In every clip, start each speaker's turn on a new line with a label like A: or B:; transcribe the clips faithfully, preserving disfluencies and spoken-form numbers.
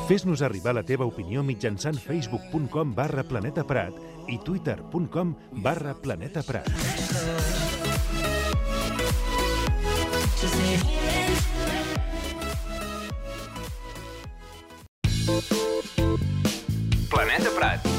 A: Fes-nos arribar la teva opinió mitjançant facebook punt com barra Planeta Prat i twitter punt com barra Planeta Prat.
B: Planeta Prat.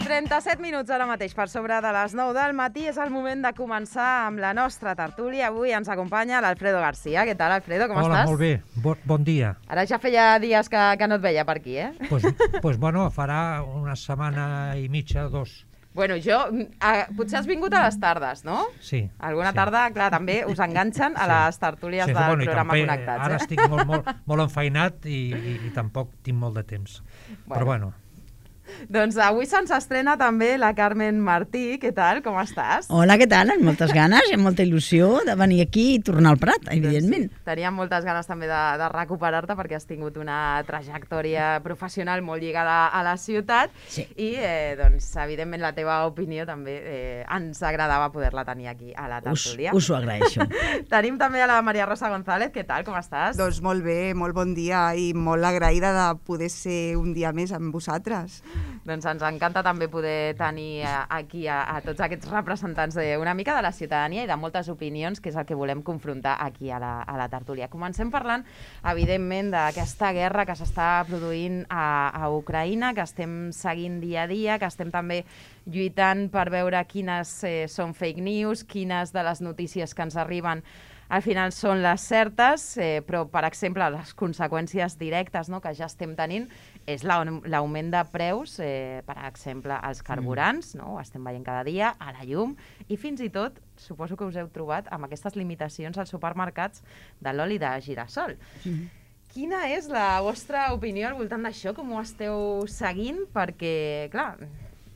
C: trenta-set minuts ara mateix per sobre de les nou del matí. És el moment de començar amb la nostra tertúlia. Avui ens acompanya l'Alfredo García. Què tal, Alfredo? Com
D: Hola,
C: estàs?
D: molt bé. Bon, bon dia.
C: Ara ja feia dies que, que no et veia per aquí, eh?
D: Pues, pues bueno, farà una setmana i mitja, dos.
C: Bueno, jo... Eh, potser has vingut a les tardes, no?
D: Sí.
C: Alguna
D: sí.
C: tarda, clar, també us enganxen a les tertúlies
D: sí,
C: del
D: bueno,
C: programa
D: també,
C: Connectats.
D: Ara
C: eh?
D: estic molt, molt, molt enfeinat i, i, i tampoc tinc molt de temps. Bueno. Però bueno...
C: Doncs avui se'ns estrena també la Carmen Martí. Què tal? Com estàs?
E: Hola, què tal? Amb moltes ganes i amb molta il·lusió de venir aquí i tornar al Prat, evidentment.
C: Doncs sí, teníem moltes ganes també de, de recuperar-te perquè has tingut una trajectòria professional molt lligada a la ciutat
E: sí.
C: i, eh, doncs, evidentment, la teva opinió també eh, ens agradava poder-la tenir aquí a la tertúlia.
E: Us, us ho agraeixo.
C: Tenim també a la Maria Rosa González. Què tal? Com estàs?
F: Doncs molt bé, molt bon dia i molt agraïda de poder ser un dia més amb vosaltres.
C: Doncs ens encanta també poder tenir aquí a, a tots aquests representants de, una mica de la ciutadania i de moltes opinions, que és el que volem confrontar aquí a la, a la tertúlia. Comencem parlant, evidentment, d'aquesta guerra que s'està produint a, a Ucraïna, que estem seguint dia a dia, que estem també lluitant per veure quines eh, són fake news, quines de les notícies que ens arriben al final són les certes, eh, però, per exemple, les conseqüències directes, no?, que ja estem tenint és l'augment de preus, eh, per exemple, als carburants, no?, ho estem veient cada dia, a la llum, i fins i tot, suposo que us heu trobat amb aquestes limitacions als supermercats de l'oli de girassol. Mm-hmm. Quina és la vostra opinió al voltant d'això? Com ho esteu seguint? Perquè, clar,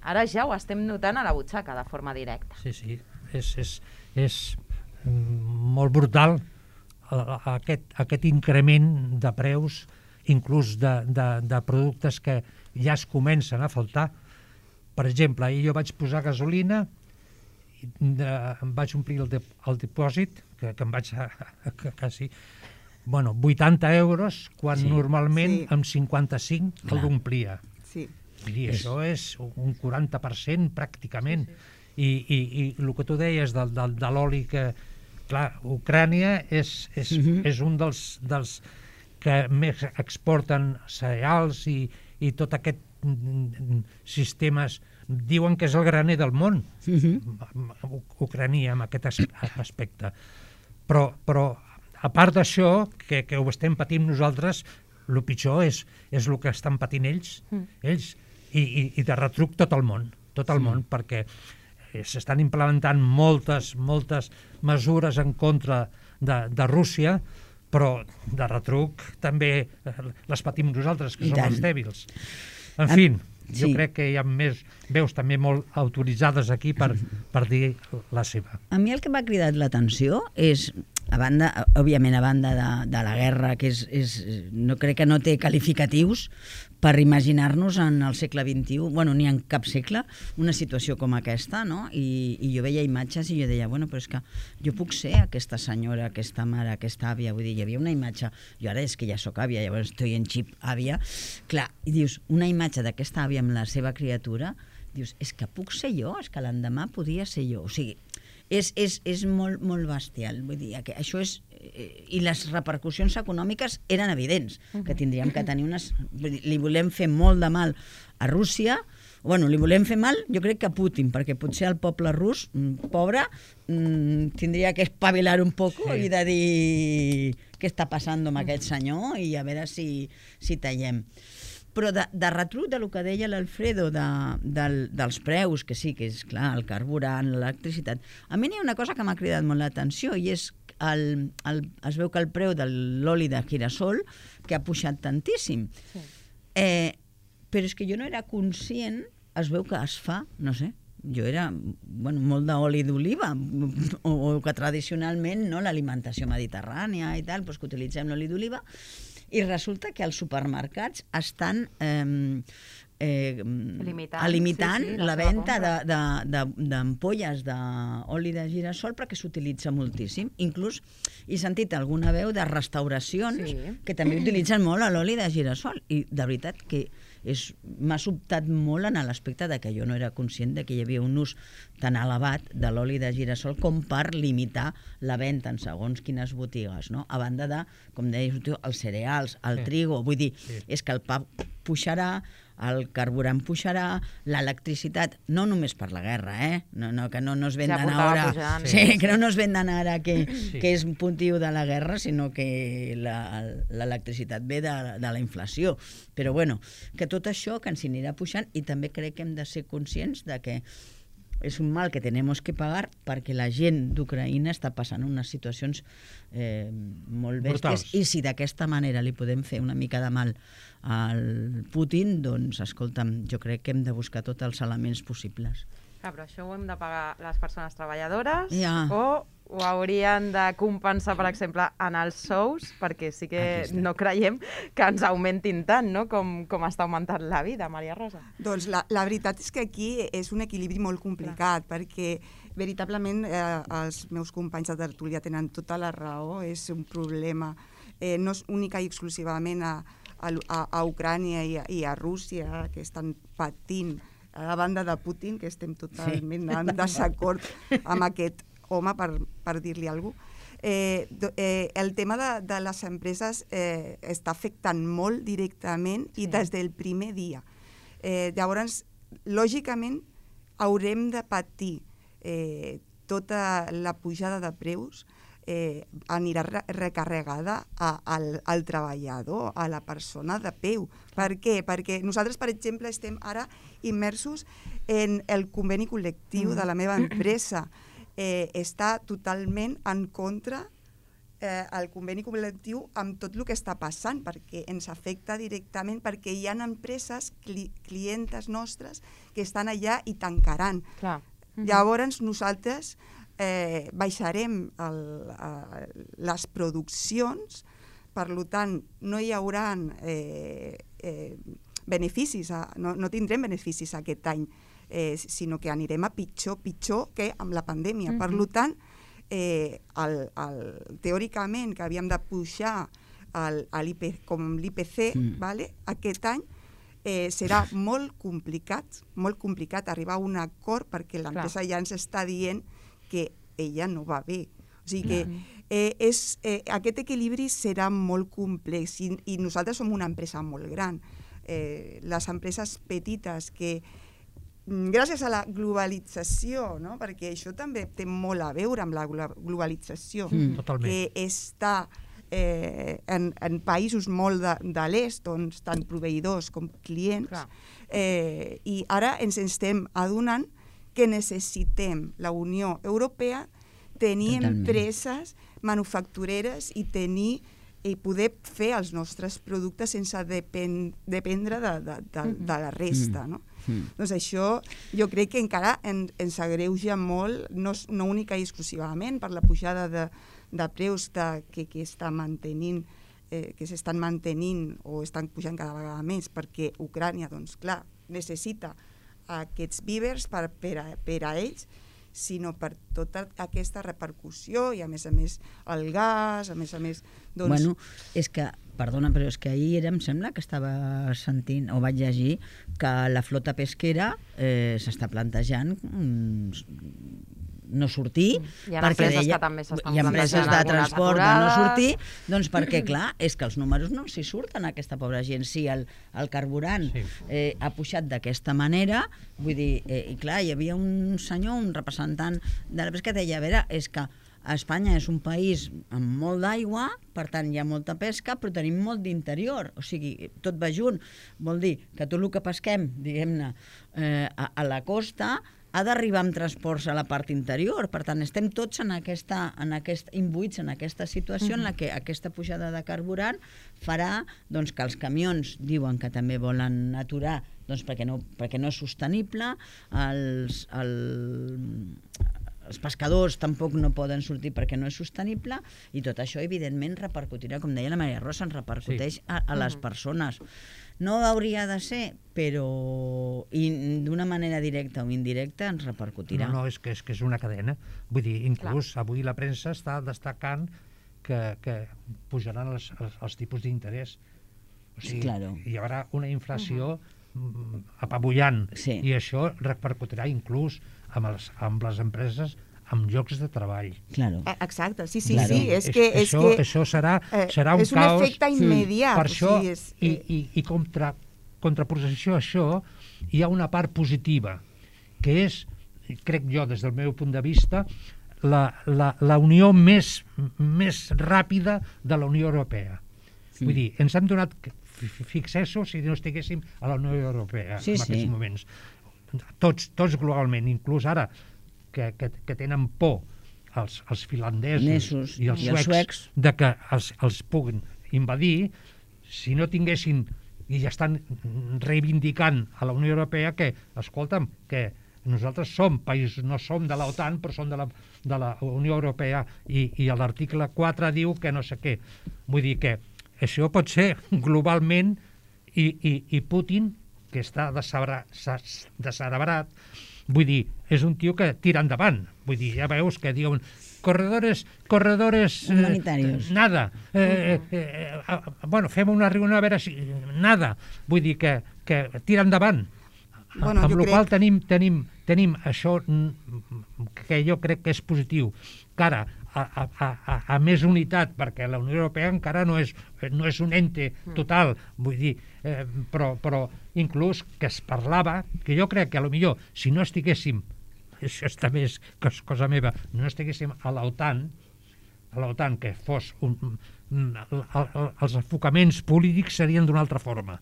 C: ara ja ho estem notant a la butxaca de forma directa.
D: Sí, sí, és... és, és... molt brutal aquest, aquest increment de preus, inclús de, de, de productes que ja es comencen a faltar. Per exemple, ahir jo vaig posar gasolina, de, em vaig omplir el, de, el dipòsit, que, que em vaig a, a, a quasi bueno, vuitanta euros, quan sí, normalment sí. amb cinquanta-cinc el l'omplia.
F: Sí.
D: I això és un quaranta per cent pràcticament. Sí, sí. I, i, i el que tu deies de, de, de l'oli que, clar, Ucrània és, és, uh-huh. és un dels, dels que més exporten cereals i, i tot aquest sistemes, diuen que és el graner del món, uh-huh. Ucrània, en aquest aspecte. Però, però a part d'això, que, que ho estem patint nosaltres, el pitjor és, és el que estan patint ells, uh-huh. ells i, i, i de retruc tot el món, tot el sí. món, perquè s'estan implementant moltes, moltes mesures en contra de, de Rússia, però de retruc també les patim nosaltres, que I som tant. els dèbils. En fi, jo sí. crec que hi ha més veus també molt autoritzades aquí per, per dir la seva.
E: A mi el que m'ha cridat l'atenció és, a banda, òbviament a banda de, de la guerra, que és, és, no crec que no té qualificatius per imaginar-nos en el segle vint-i-u, bueno, ni en cap segle, una situació com aquesta, no? I, i jo veia imatges i jo deia, bueno, però és que jo puc ser aquesta senyora, aquesta mare, aquesta àvia, vull dir, hi havia una imatge, jo ara és que ja sóc àvia, llavors estoy en xip àvia, clar, i dius, una imatge d'aquesta àvia amb la seva criatura, dius, és que puc ser jo, és que l'endemà podia ser jo, o sigui, és, és, és molt, molt bestial, vull dir, que això és, i les repercussions econòmiques eren evidents, que tindríem que tenir unes... Li volem fer molt de mal a Rússia, Bueno, li volem fer mal, jo crec que a Putin, perquè potser el poble rus, pobre, tindria que espavilar un poc sí. i de dir què està passant amb aquest senyor i a veure si, si tallem. Però de, de retruc del que deia l'Alfredo de, de, dels preus, que sí, que és clar, el carburant, l'electricitat, a mi n'hi ha una cosa que m'ha cridat molt l'atenció i és el, el, es veu que el preu de l'oli de girasol que ha pujat tantíssim. Sí. Eh, però és que jo no era conscient, es veu que es fa, no sé, jo era bueno, molt d'oli d'oliva, o, o que tradicionalment no, l'alimentació mediterrània i tal, doncs que utilitzem l'oli d'oliva, i resulta que els supermercats estan eh, eh, limitant, limitant sí, sí, la, la venda d'ampolles de, de, d'oli de girasol perquè s'utilitza moltíssim. Inclús he sentit alguna veu de restauracions sí. que també utilitzen molt l'oli de girasol i de veritat que m'ha sobtat molt en l'aspecte de que jo no era conscient de que hi havia un ús tan elevat de l'oli de girasol com per limitar la venda en segons quines botigues, no? A banda de, com deies tu, els cereals, el sí. trigo, vull dir, sí. és que el pa pujarà, el carburant pujarà, l'electricitat, no només per la guerra, eh? No, no, que no nos vendan ja ara, pujant, sí, sí, que no nos vendan ara que, sí. que és un motiu de la guerra, sinó que l'electricitat ve de, de la inflació. Però bueno, que tot això que ens anirà pujant i també crec que hem de ser conscients de que és un mal que tenemos que pagar perquè la gent d'Ucraïna està passant unes situacions eh, molt bèsties i si d'aquesta manera li podem fer una mica de mal al Putin, doncs, escolta'm, jo crec que hem de buscar tots els elements possibles.
C: Ah, però això ho hem de pagar les persones treballadores
E: ja.
C: o ho haurien de compensar, per exemple, en els sous, perquè sí que no creiem que ens augmentin tant, no?, com, com està augmentant la vida, Maria Rosa.
F: Doncs la, la veritat és que aquí és un equilibri molt complicat, clar. Perquè veritablement eh, els meus companys de tertúlia tenen tota la raó, és un problema eh, no és única i exclusivament a, a, a Ucrània i a, i a Rússia, que estan patint a la banda de Putin, que estem totalment sí. en desacord amb aquest home, per, per dir-li alguna cosa. Eh, eh, el tema de, de les empreses eh, està afectant molt directament sí. i des del primer dia. Eh, llavors, lògicament, haurem de patir eh, tota la pujada de preus, eh, anirà re recarregada a, al, al treballador, a la persona de peu. Per què? Perquè nosaltres, per exemple, estem ara immersos en el conveni col·lectiu mm. de la meva empresa. Eh, està totalment en contra eh, el conveni col·lectiu amb tot el que està passant, perquè ens afecta directament, perquè hi ha empreses, cli clientes nostres, que estan allà i tancaran.
C: Clar. Mm-hmm.
F: Llavors nosaltres eh, baixarem el, eh, les produccions, per tant no hi haurà eh, eh, beneficis, no, no tindrem beneficis aquest any, Eh, sinó que anirem a pitjor, pitjor que amb la pandèmia. Mm-hmm. Per tant, eh, el, el, teòricament, que havíem de pujar el, el I P, com l'I P C, mm. vale? Aquest any, eh, serà molt complicat, molt complicat arribar a un acord perquè l'empresa ja ens està dient que ella no va bé. O sigui que eh, és, eh, aquest equilibri serà molt complex i, i nosaltres som una empresa molt gran. Eh, les empreses petites que gràcies a la globalització, no? Perquè això també té molt a veure amb la globalització,
D: mm,
F: que està eh, en, en països molt de, de l'est, doncs, tant proveïdors com clients, eh, i ara ens estem adonant que necessitem la Unió Europea tenir Totalment. empreses manufactureres i tenir i poder fer els nostres productes sense depen dependre de, de, de, de la resta, no? Mm. Doncs això jo crec que encara en, ens agreuja molt, no, no única i exclusivament per la pujada de, de preus de, que, que està mantenint, eh, que s'estan mantenint o estan pujant cada vegada més, perquè Ucrània, doncs clar, necessita aquests vívers per, per, a, per a ells, sinó per tota aquesta repercussió i a més a més el gas, a més a més... Doncs...
E: Bueno, és que, perdona, però és que ahir era, em sembla que estava sentint, o vaig llegir, que la flota pesquera eh, s'està plantejant mm, no sortir.
C: Hi ha empreses que també s'estan
E: hi ha empreses de
C: plantejant
E: transport de
C: algunes
E: no sortir,
C: aturades.
E: doncs perquè, clar, és que els números no s'hi surten a aquesta pobra gent. Si el, el carburant
D: Sí.
E: eh, ha pujat d'aquesta manera, vull dir, eh, i clar, hi havia un senyor, un representant de la pesca que deia, a veure, és que Espanya és un país amb molt d'aigua, per tant hi ha molta pesca, però tenim molt d'interior, o sigui, tot va junt. Vol dir que tot el que pesquem, diguem-ne, eh, a, a la costa, ha d'arribar amb transports a la part interior. Per tant, estem tots en aquesta, en aquest, imbuïts en aquesta situació en la que aquesta pujada de carburant farà doncs, que els camions diuen que també volen aturar doncs, perquè, no, perquè no és sostenible, els... El, els pescadors tampoc no poden sortir perquè no és sostenible, i tot això evidentment repercutirà, com deia la Maria Rosa, ens repercuteix sí. a, a les persones. No hauria de ser, però d'una manera directa o indirecta ens repercutirà.
D: No, no, és que és, que és una cadena. Vull dir, inclús Clar. avui la premsa està destacant que, que pujaran els, els, els tipus d'interès. O sigui,
E: claro.
D: hi haurà una inflació uh-huh. apabullant,
E: sí.
D: i això repercutirà inclús amb, els, amb les empreses, amb llocs de treball.
E: Claro.
F: Exacte, sí, sí,
E: claro.
F: sí. És que, és
D: això,
F: que,
D: això serà, serà un
F: és un
D: caos.
F: efecte immediat.
D: Per això,
F: o sigui, és,
D: i, i, i contra, contraposició a això, hi ha una part positiva, que és, crec jo, des del meu punt de vista, la, la, la unió més, més ràpida de la Unió Europea. Sí. Vull dir, ens hem donat fixessos si no estiguéssim a la Unió Europea
E: sí,
D: en aquests
E: sí.
D: moments. Tots, tots globalment, inclús ara que, que, que tenen por els, els finlandesos
E: Nesos,
D: i els
E: i
D: suecs,
E: els suecs
D: de que els, els puguin invadir, si no tinguessin, i ja estan reivindicant a la Unió Europea que, escolta'm, que nosaltres som països, no som de l'OTAN, però som de la, de la Unió Europea, i, i l'article quatre diu que no sé què. Vull dir que això pot ser globalment, i, i, i Putin, que està descerebrat, vull dir, és un tio que tira endavant. Vull dir, ja veus que diuen corredores, corredores...
E: humanitarios.
D: Eh, nada. Eh, eh, eh, bueno, fem una reunió a veure si... Nada. Vull dir que, que tira endavant.
F: Bueno,
D: amb
F: jo
D: la
F: crec...
D: qual tenim, tenim, tenim això que jo crec que és positiu, que ara a, a, a, a més unitat, perquè la Unió Europea encara no és, no és un ente total, vull dir, eh, però, però inclús que es parlava, que jo crec que a lo millor si no estiguéssim, això també és cosa meva, no estiguéssim a l'OTAN, a l'OTAN que fos un, un, el, el, els enfocaments polítics serien d'una altra forma.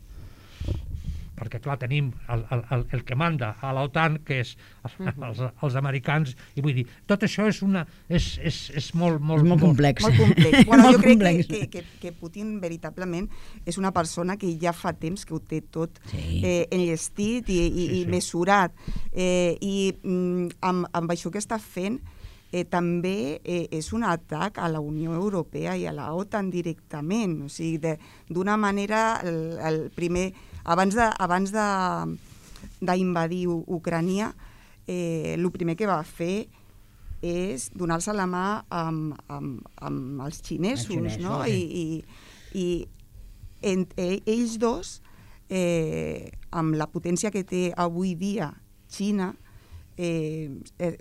D: Perquè, clar, tenim el, el, el que manda a l'OTAN, que és els, els americans, i vull dir, tot això és, una, és, és, és molt, molt,
E: és molt complex.
F: Molt complex. Bueno,
E: molt
F: jo crec
E: complex.
F: que, que, que Putin, veritablement, és una persona que ja fa temps que ho té tot
E: sí.
F: eh, enllestit i, i,
D: sí, sí.
F: i mesurat. Eh, I mm, amb, amb això que està fent, eh, també eh, és un atac a la Unió Europea i a la OTAN directament. O sigui, d'una manera, el, el primer... Abans de, abans de, d'invadir Ucrània, eh, el primer que va fer és donar-se la mà amb, amb, amb els xinesos,
E: xinesos
F: no?
E: sí.
F: I, i, i en, ells dos, eh, amb la potència que té avui dia Xina, eh,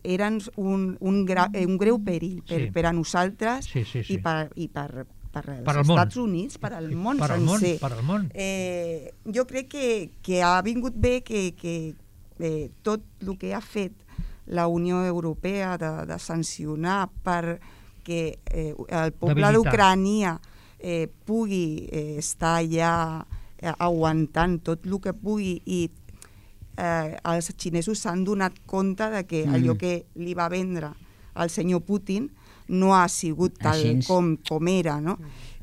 F: eren un, un, gra, un greu perill per,
D: sí.
F: per a nosaltres
D: sí, sí, sí.
F: i per... I per per als
D: per
F: Estats
D: món.
F: Units, per al món
D: per al
F: sencer.
D: Món, per al món.
F: Eh, jo crec que, que ha vingut bé que, que eh, tot el que ha fet la Unió Europea de, de sancionar perquè eh, el poble d'Ucrània eh, pugui eh, estar allà eh, aguantant tot el que pugui, i eh, els xinesos s'han donat compte de que mm. allò que li va vendre al senyor Putin no ha sigut tal com, com era, no?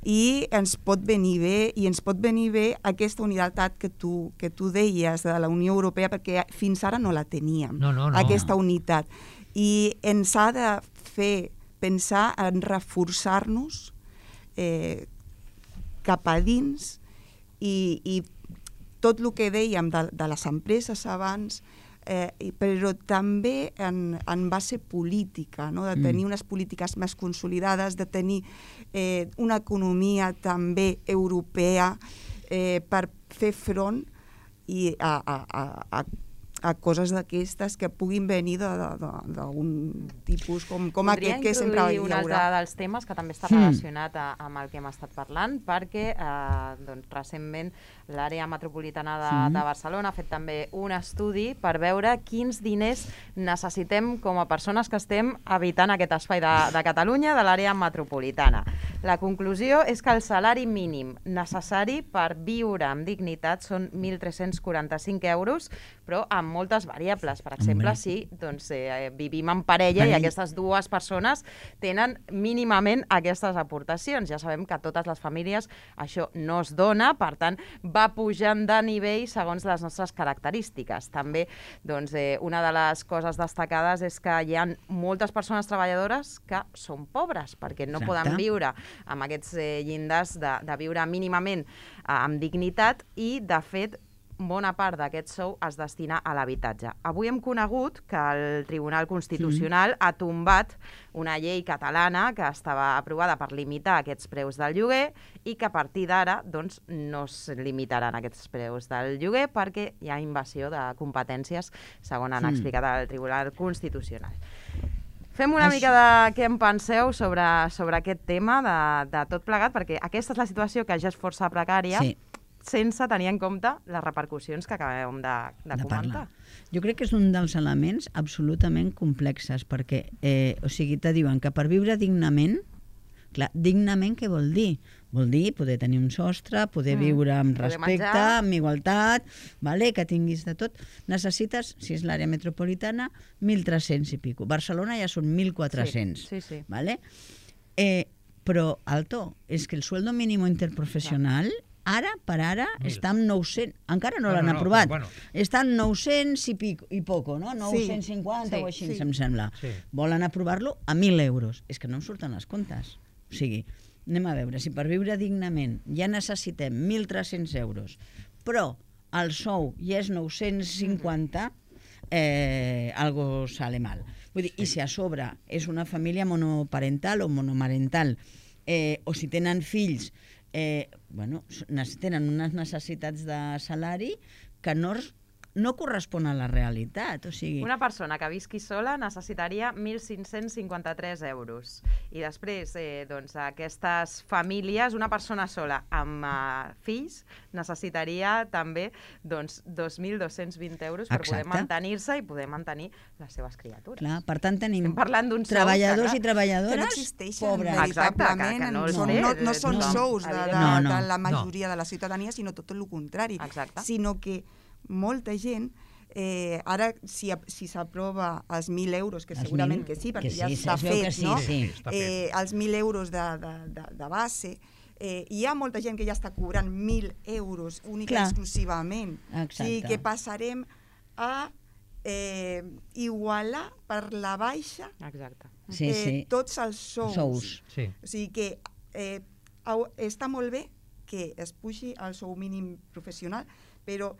F: I ens pot venir bé, i ens pot venir bé aquesta unitat que tu, que tu deies de la Unió Europea, perquè fins ara no la teníem,
D: no, no, no.
F: aquesta unitat. I ens ha de fer pensar en reforçar-nos eh, cap a dins, i, i tot el que dèiem de, de les empreses abans, Eh, però també en, en base política, no? De tenir mm. unes polítiques més consolidades, de tenir eh, una economia també europea eh, per fer front i a, a, a, a coses d'aquestes que puguin venir d'un tipus com, com
C: Podria
F: aquest que sempre hi
C: introduir un
F: haurà.
C: altre dels temes que també està relacionat a, amb el que hem estat parlant, perquè eh, doncs, recentment l'àrea metropolitana de,
E: Sí.
C: de Barcelona ha fet també un estudi per veure quins diners necessitem com a persones que estem habitant aquest espai de, de Catalunya, de l'àrea metropolitana. La conclusió és que el salari mínim necessari per viure amb dignitat són mil tres-cents quaranta-cinc euros, però amb moltes variables. Per exemple,
E: Home.
C: si doncs, eh, vivim en parella i
E: Parella.
C: aquestes dues persones tenen mínimament aquestes aportacions. Ja sabem que a totes les famílies això no es dona, per tant, va pujant de nivell segons les nostres característiques. També, doncs, eh, una de les coses destacades és que hi ha moltes persones treballadores que són pobres, perquè no
E: Exacte.
C: poden viure amb aquests eh, llindars de, de viure mínimament eh, amb dignitat i, de fet, bona part d'aquest sou es destina a l'habitatge. Avui hem conegut que el Tribunal Constitucional ha tombat una llei catalana que estava aprovada per limitar aquests preus del lloguer i que a partir d'ara doncs, no es limitaran aquests preus del lloguer perquè hi ha invasió de competències, segons han
E: Mm.
C: explicat el Tribunal Constitucional. Fem una
E: Això-
C: mica de què en penseu sobre, sobre aquest tema de, de tot plegat, perquè aquesta és la situació que ja és força precària,
E: Sí.
C: sense tenir en compte les repercussions que acabem de, de,
E: de
C: comentar.
E: parlar. Jo crec que és un dels elements absolutament complexes, perquè, eh, o sigui, te diuen que per viure dignament, clar, dignament què vol dir? Vol dir poder tenir un sostre, poder
C: Mm.
E: viure amb
C: Poder
E: respecte,
C: menjar.
E: amb igualtat, vale? Que tinguis de tot. Necessites, si és l'àrea metropolitana, mil tres-cents i pico. Barcelona ja són mil quatre-cents.
C: Sí, sí, sí.
E: Vale? Eh, però, alto, és que el sueldo mínimo interprofessional ara per ara
D: Mil.
E: està en nou-cents, encara no
D: Bueno,
E: l'han
D: no,
E: aprovat,
D: però bueno.
E: està en nou-cents i, pico, i poco, no? nou-cents cinquanta
C: Sí,
E: o així,
F: sí.
E: em sembla.
D: Sí.
E: Volen aprovar-lo a mil euros. És que no em surten les comptes. O sigui, anem a veure, si per viure dignament ja necessitem mil tres-cents euros, però el sou ja és nou-cents cinquanta, eh, algo sale mal. Vull dir, i si a sobre és una família monoparental o monomarental, eh, o si tenen fills, eh, bueno, nes- tenen unes necessitats de salari que no, es- no correspon a la realitat. O sigui,
C: Una persona que visqui sola necessitaria mil cinc-cents cinquanta-tres euros. I després, eh, doncs, aquestes famílies, una persona sola amb uh, fills, necessitaria també doncs, dos mil dos-cents vint euros per poder
E: Exacte.
C: mantenir-se i poder mantenir les seves criatures.
E: clar, per tant tenim
C: Estem parlant d'uns sous
E: treballadors
C: que,
E: i
C: clar,
E: treballadores
F: que no existeixen
E: pobres.
C: Exacte,
F: veritablement,
C: que- que no els
F: són,
C: té,
F: no, no són
C: no,
F: sous de, de,
C: evidentment.
E: No, no,
F: de la
E: no.
F: majoria de la ciutadania, sinó tot el contrari,
C: Exacte.
F: sinó que molta gent eh, ara si, si s'aprova els mil euros, que
E: Els
F: segurament
E: mil,
F: que sí, perquè
E: que
F: ja
E: sí,
F: està
E: es veu que
F: fet,
E: sí,
F: no?
E: sí.
D: Està fet.
F: Eh, els mil euros de, de, de, de base, eh, hi ha molta gent que ja està cobrant mil euros única i
E: Clar.
F: exclusivament.
E: Exacte.
F: O sigui que passarem a eh, igualar per la baixa
C: Exacte.
E: Sí,
F: eh,
E: sí.
F: tots els sous.
E: Sous.
D: Sí.
F: O sigui que eh, au- està molt bé que es pugi el sou mínim professional, però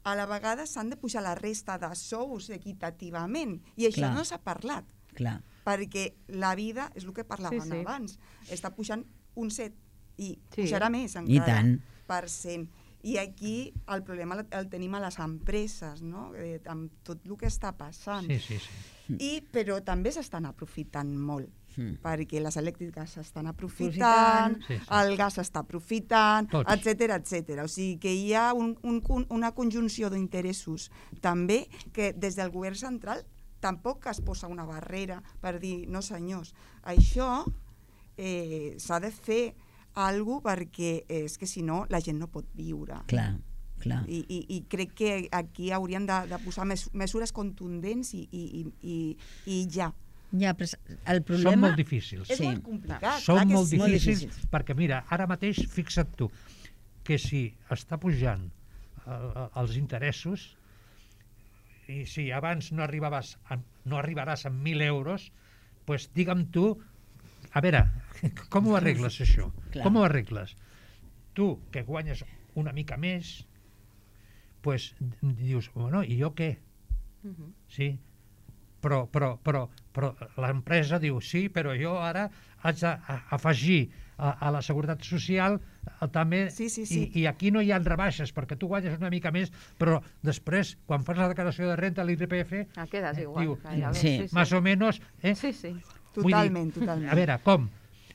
F: a la vegada s'han de pujar la resta de sous equitativament. I això
E: Clar.
F: no s'ha parlat,
E: Clar.
F: perquè la vida, és el que parlàvem
C: Sí, sí.
F: abans, està pujant un set i
C: Sí.
F: pujarà més
E: I
F: encara
E: tant.
F: per cent. I aquí el problema el- el tenim a les empreses, no? Eh, amb tot el que està passant.
D: Sí, sí, sí.
F: I, però també s'estan aprofitant molt,
E: Mm.
F: perquè les elèctriques s'estan aprofitant,
E: Aprofitant.
D: Sí, sí.
F: el gas s'està aprofitant,
D: Tots.
F: etcètera, etcètera. O sigui que hi ha un, un, un- una conjunció d'interessos també que des del govern central tampoc es posa una barrera per dir, no senyors, això eh, s'ha de fer alguna cosa perquè és que si no la gent no pot viure.
E: Clar, clar.
F: I, i, i crec que aquí haurien de, de posar mes, mesures contundents i, i, i, i ja.
E: Ja, però el problema...
D: Són molt difícils.
F: És
E: Sí.
F: molt complicat.
D: Són
F: clar que
D: molt
F: sí.
E: Molt
D: difícils,
E: difícils.
D: perquè mira, ara mateix, fixa't tu, que si està pujant eh, els interessos i si abans no arribaves a, no arribaràs a mil euros, pues digue'm tu, a veure, com ho arregles això?
E: Clar.
D: Com ho arregles? Tu, que guanyes una mica més, pues dius, bueno, i jo què?
C: Mhm.
D: Sí, però, però, però, però l'empresa diu sí, però jo ara haig d'afegir a, a la Seguretat Social eh, també,
F: Sí, sí, sí.
D: I, i aquí no hi ha rebaixes, perquè tu guanyes una mica més, però després, quan fas la declaració de renta, l'I R P F,
C: Ah, quedes igual.
D: diu,
C: gairebé,
E: sí.
C: sí, sí.
D: més o menys... Eh?
C: Sí, sí.
D: Vull dir,
F: Totalment, totalment.
D: A veure, com?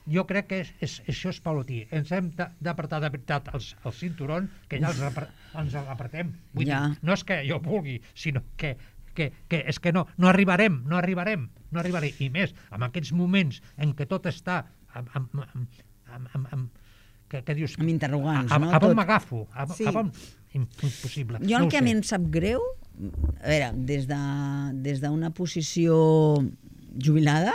D: Jo crec que és, és, això és paulotí. Ens hem de- d'apretar de veritat els, els cinturons, que ja els, apre- ens apretem. Vull
E: Ja.
D: dir, no és que jo vulgui, sinó que, que, que és que no, no arribarem, no arribarem, no arribarem. I més, en aquests moments en què tot està amb, amb, amb, amb, amb, amb que, que dius...
E: Amb interrogants,
D: a, a,
E: no?
D: A on
E: Tot.
D: m'agafo? A,
F: Sí.
D: a on... Impossible.
E: Jo el
D: no ho
E: que a
D: sé.
E: mi em sap greu, a veure, des de, des d'una posició jubilada,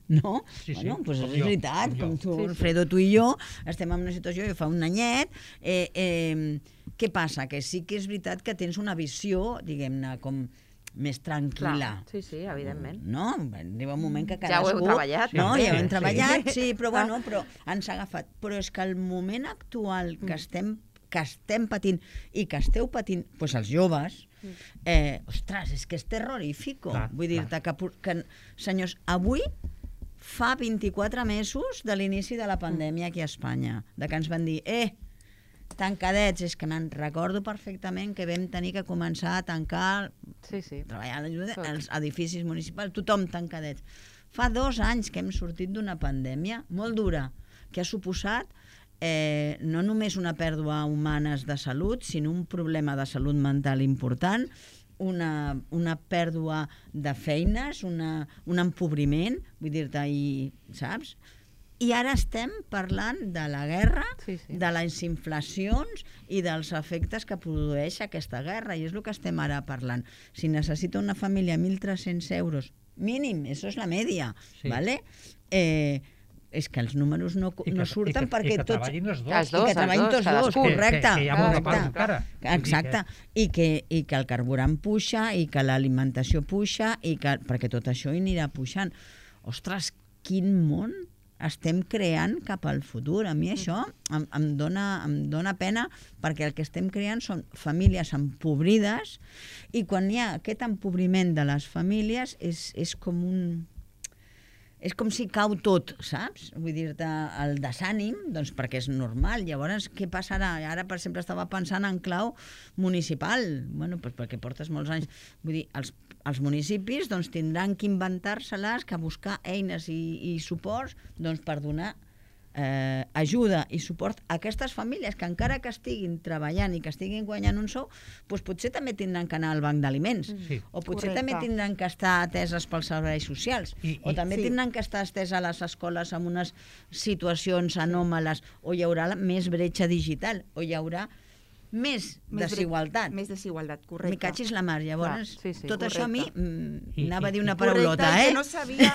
E: no?
D: Sí, sí,
E: Bueno, doncs
D: com
E: és
D: jo,
E: veritat,
D: com jo.
E: com tu,
C: Sí, sí.
E: Alfredo, tu i jo, estem en una situació, jo fa un anyet, eh, eh, què passa? Que sí que és veritat que tens una visió, diguem-ne, com més tranquil·la.
C: Clar, sí, sí, evidentment.
E: No? Arriba un moment que
C: Ja ho heu
E: cadascú...
C: treballat,
E: No,
C: també.
E: ja ho hem
D: Sí,
E: treballat,
C: sí.
E: sí, però bueno, però ens ha agafat. Però és que el moment actual que estem que estem patint i que esteu patint, doncs els joves, eh, ostres, és que és terrorífico.
D: Clar,
E: Vull dir-te que, pu- que, senyors, avui fa vint-i-quatre mesos de l'inici de la pandèmia aquí a Espanya, de que ens van dir, eh, tancadets, és que me'n recordo perfectament que vam tenir que començar a tancar,
C: Sí, sí.
E: treballar a l'ajuda,
C: Tot.
E: als edificis municipals, tothom tancadets. Fa dos anys que hem sortit d'una pandèmia molt dura, que ha suposat eh, no només una pèrdua humana de salut, sinó un problema de salut mental important, una, una pèrdua de feines, una, un empobriment, vull dir-te, i, saps? I ara estem parlant de la guerra,
C: Sí, sí.
E: de les inflacions i dels efectes que produeix aquesta guerra, i és el que estem ara parlant. Si necessita una família mil tres-cents euros, mínim, això és la media,
D: Sí.
E: ¿vale? Eh, és que els números no,
D: I que-
E: no
D: i
E: surten
D: que-
E: perquè
D: i que
E: tots...
D: treballin els dos.
C: Els
E: I
C: dos,
E: que
C: els
E: treballin
C: dos,
E: tots dos,
C: cadascú.
E: correcte.
D: Que, que hi ha molta part
E: correcte.
D: encara. Vull dir
E: Exacte, i que, i que el carburant puja, i que l'alimentació puja, i que, perquè tot això hi anirà pujant. Ostres, quin món estem creant cap al futur. A mi això em, em, dona, em dona pena, perquè el que estem creant són famílies empobrides, i quan hi ha aquest empobriment de les famílies és, és com un... és com si cau tot, saps? Vull dir-te, el desànim, doncs perquè és normal. Llavors, què passarà? Ara, per exemple, estava pensant en clau municipal. Bueno, doncs perquè portes molts anys. Vull dir, els, els municipis doncs, tindran que inventar-se-les, que buscar eines i, i suports doncs, per donar eh, ajuda i suport a aquestes famílies que encara que estiguin treballant i que estiguin guanyant un sou, doncs potser també tindran que anar al banc d'aliments.
D: Sí.
E: O potser
F: Correcte.
E: també tindran que estar ateses pels serveis socials.
D: I-
E: o
D: i-
E: també
F: Sí.
E: tindran que estar esteses a les escoles amb unes situacions anòmales, o hi haurà la- més bretxa digital, o hi haurà més,
F: Més
E: desigualtat.
F: Més desigualtat,
E: Mi
F: correcte.
E: cachis la mar. Llavors,
C: Clar, sí, sí,
E: tot això a mi
F: correcte.
E: mm,
D: I-
E: anava a dir
D: i-
E: una
F: Correcte,
E: paraulota,
F: i
E: eh?
F: que no sabia,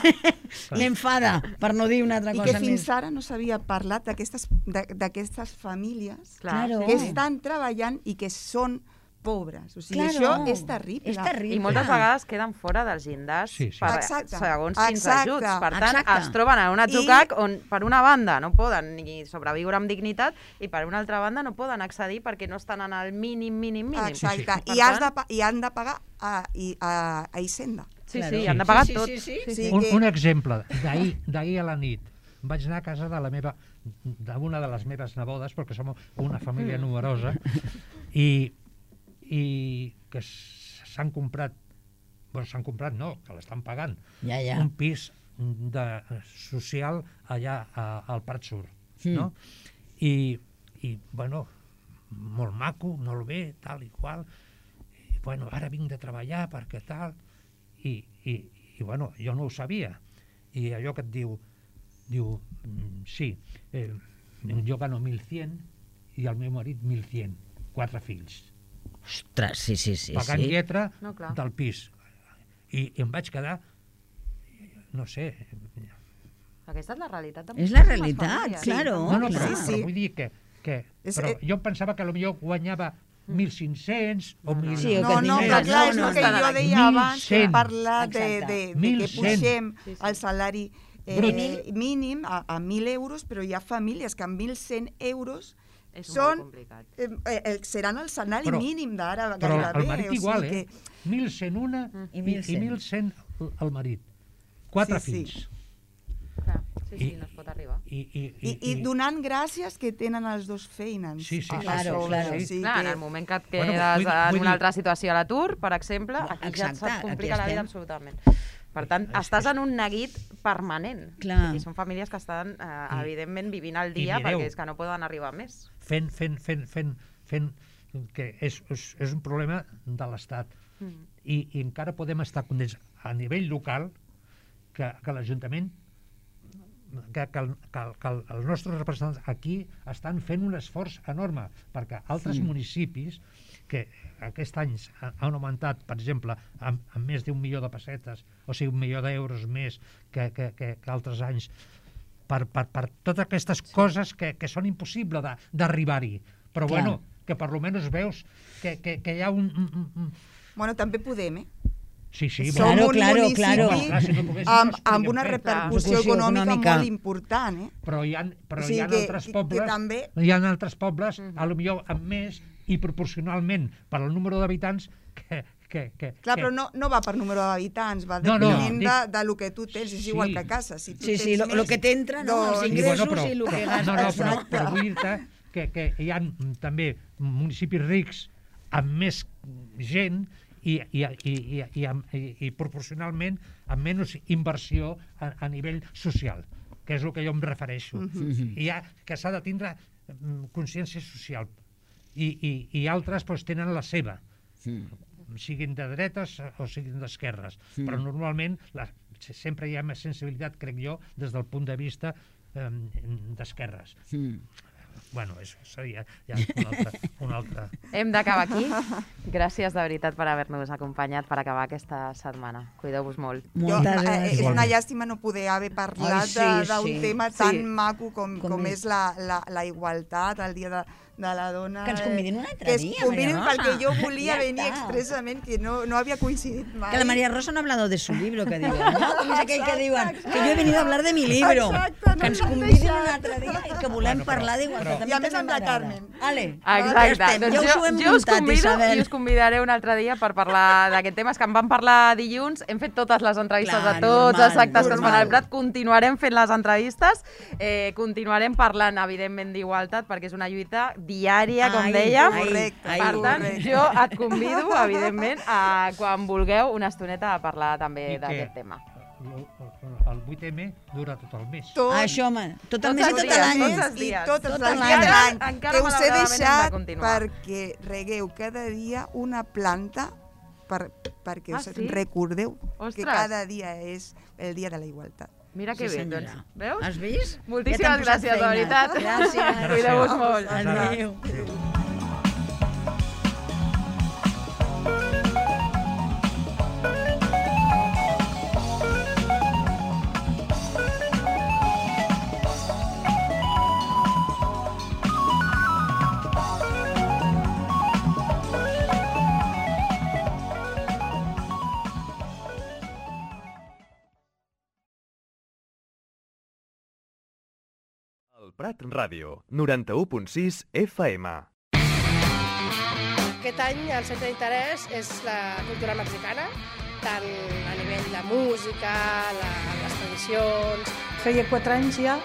E: M'enfada, per no dir una altra
F: i
E: cosa
F: que fins
E: més.
F: ara no s'havia parlat d'aquestes de- d'aquestes famílies
C: Clar,
E: Claro.
C: sí,
F: que
C: sí.
F: estan treballant i que són pobres. O sigui,
E: Claro.
F: això és terrible.
E: És terrible.
C: I moltes vegades queden fora dels llindars
D: Sí, sí.
C: per,
F: Exacte.
C: segons quins
F: Exacte.
C: ajuts. Per tant,
E: Exacte.
C: es troben en un atzucac
F: I-
C: on, per una banda, no poden ni sobreviure amb dignitat i per una altra banda no poden accedir perquè no estan en el mínim, mínim, mínim.
F: Exacte.
C: Per
F: I, has
C: tant,
F: de, pa- I han de pagar a, i, a, a Hisenda.
C: Sí,
E: Claro.
C: sí, han de
D: Sí,
C: pagar
E: sí,
C: tot.
E: sí, sí.
F: Sí.
D: Un,
F: que-
D: un exemple, d'ahir d'ahir a la nit vaig anar a casa de la meva d'una de les meves nebodes, perquè som una família numerosa, i, i que s'han comprat, bueno, s'han comprat no, que l'estan pagant,
E: Ja, ja.
D: un pis de, social allà a, al Prat Sur,
E: Mm.
D: no? I, i, bueno, molt maco, molt bé, tal i qual, i, bueno, ara vinc de treballar perquè tal, i, i, i bueno, jo no ho sabia, i allò que et diu, diu, mm, sí, eh, jo gano mil cent i el meu marit mil cent, quatre fills,
E: Ostres, sí, sí, sí.
D: pagant
E: sí.
D: lletra
C: No, clar.
D: del pis. I, I em vaig quedar, no sé,
C: Aquesta és la realitat de
E: És la
C: moltíssimes
E: realitat,
C: famílies.
E: claro.
D: no, no, però,
F: Sí, sí.
D: però vull dir que, que
F: És-
D: però
F: eh,
D: jo pensava que potser guanyava mil cinc-cents o mil...
E: Sí, o
F: No,
E: que
F: no,
E: tingués-
F: però clar, és
E: no,
F: el que
E: no,
F: jo
C: no.
F: deia abans, que
D: mil cent.
F: parlar de,
E: Exacte.
F: de, de que
D: mil cent.
F: pugem
C: Sí, sí.
F: el salari eh,
E: Brut.
F: mínim a, a mil euros, però hi ha famílies que amb mil cent euros
C: És
F: són,
C: molt complicat.
F: eh, eh, el, seran el salari
D: Però-
F: mínim d'ara
D: Però
F: gairebé.
D: el marit
F: o sigui
D: igual, eh?
F: que-
D: mil cent una
E: I
D: i
E: mil cent.
D: mil cent el marit. Quatre
F: Sí, sí.
D: fills.
C: Clar. Sí, sí, no es pot arribar.
D: I, i,
F: I, i donant gràcies que tenen els dos feines.
D: Sí, sí,
F: a
E: claro,
F: sobre.
E: claro.
F: O sigui
C: Clar,
F: que-
C: en el moment que et quedes
D: Bueno, vull-
C: en
D: vull
C: una
D: dir-
C: altra situació a l'atur, per exemple, aquí
E: Exacte,
C: ja et complica
E: aquí
C: la vida
E: estem.
C: absolutament. Per tant,
D: És-
C: estàs
D: és-
C: en un neguit permanent.
E: Clar.
C: I són famílies que estan, eh,
D: I-
C: evidentment, vivint el
D: i
C: dia
D: mireu,
C: perquè és que no poden arribar més.
D: fent, fent, fent, fent, fent que és, és, és un problema de l'Estat.
C: Mm.
D: I, I encara podem estar condents a nivell local que, que l'Ajuntament que, que, el, que, el, que el, els nostres representants aquí estan fent un esforç enorme perquè altres
E: Sí.
D: municipis que aquest any ha- han augmentat, per exemple, amb, amb més d'un milió de pessetes, o sigui, un milió d'euros més que, que, que, que altres anys, per, per, per totes aquestes coses que, que són impossibles de- d'arribar-hi. Però
E: Clar.
D: bueno, que per lo menos veus que, que, que hi ha un... un, un, un...
F: Bueno, també podem, eh?
D: Sí, sí,
F: Som
E: Claro,
F: un
E: claro,
F: municipi
E: claro.
D: Home, clar, si no poguéssim,
F: amb,
D: no es podria
F: amb una
D: fer.
F: repercussió
E: Repercussió
F: econòmica,
E: econòmica.
F: molt important, eh?
D: però hi ha, però
F: O sigui
D: hi ha
F: que-
D: altres
F: que-
D: pobles,
F: que també-
D: hi ha altres pobles, a lo millor amb més i proporcionalment per al número d'habitants que, que, que,
F: Clar,
D: que,
F: però no, no va per número d'habitants, va
D: No, no,
F: depenent
D: dic-
F: de, de lo que tu tens, és
D: Sí.
F: igual que a casa. Si tu
E: Sí, sí,
F: tens
E: lo, lo
F: més,
E: que t'entra, no? Els
F: doncs-
D: Sí,
E: ingressos
D: bueno, però,
E: i el que
D: però-
E: gastes.
D: no, no, però,
E: no?
D: però vull dir-te que, que hi ha mm, també municipis rics amb més gent i, i, i, i, i, amb, i, i proporcionalment amb menys inversió a, a nivell social, que és el que jo em refereixo.
E: Mhm.
D: I ha, que s'ha de tindre mm, consciència social. I, i, i altres doncs, tenen la seva, siguin de dretes o siguin d'esquerres.
E: Mm.
D: Però normalment la, sempre hi ha més sensibilitat, crec jo, des del punt de vista eh, d'esquerres.
E: Mm.
D: Bueno, això seria ja un altre... Un altre.
C: Hem d'acabar aquí. Gràcies de veritat per haver-nos acompanyat per acabar aquesta setmana. Cuideu-vos molt.
F: Jo,
E: Moltes
F: eh,
E: gràcies.
F: és una llàstima no poder haver parlat
E: Ai, sí,
F: de- d'un
E: sí.
F: tema tan
C: Sí.
F: maco com,
E: Com
F: com,
E: és.
F: és la, la, la igualtat, el dia de, de la dona.
E: Que ens convidin un altre
F: que es
E: dia,
F: convidin
E: Maria Rosa.
F: perquè jo volia
E: Ja
F: venir
E: està.
F: expressament, que no, no había coincidit mai.
E: Que la María Rosa no ha hablado de su libro, que diuen, ¿no? Com és aquell que diuen, que jo he venido a hablar de mi libro.
F: Exacte, no
E: Que ens
F: m'han
E: convidin
F: deixat.
E: un altre dia i que volem
D: Bueno, però-
E: parlar d'igualtat.
F: I a més amb la Carmen.
E: Ale,
C: Exacte.
E: ja estem,
C: Doncs
E: ja us
C: jo,
E: ho hem
C: jo us
E: muntat,
C: convido
E: Isabel.
C: i us convidaré un altre dia per parlar d'aquest tema. És que en vam parlar dilluns, hem fet totes les entrevistes
E: Clar,
C: a tots
E: normal,
C: els actes que es fan
E: normal.
C: al Prat, continuarem fent les entrevistes, eh, continuarem parlant, evidentment, d'igualtat, perquè és una lluita diària, com
E: Ai,
C: dèiem.
E: ai,
F: Correcte.
E: ai,
C: Per tant,
F: correcte.
C: jo et convido, evidentment, a quan vulgueu una estoneta a parlar també
D: I que-
C: d'aquest tema.
D: El, el vuit eme dura tot el mes.
F: Tot,
E: Això, home, tot el
C: Tots
E: mes i
C: els
E: tot
C: dies,
E: l'any.
C: tots els
F: i
C: dies.
F: totes
E: Tot
F: les
E: l'any.
F: dies de l'any.
C: Encara,
F: Que us he
C: malauradament, hem de
F: deixat
C: continuar.
F: perquè regueu cada dia una planta per, perquè
C: Ah,
F: us
C: sí?
F: recordeu que
C: Ostres.
F: cada dia és el dia de la igualtat.
C: Mira que
E: Sí,
C: bé,
E: senyora.
C: doncs. Veus?
E: Has vist?
C: Moltíssimes
E: Ja t'han posat
C: gràcies, de
E: feina.
C: veritat.
E: Gràcies.
C: Cuideu-vos molt.
E: Adéu.
B: El Prat Ràdio, noranta-u punt sis F M.
G: Aquest any el centre d'interès és la cultura mexicana, tant a nivell de música, la, les tradicions.
H: Feia quatre anys ja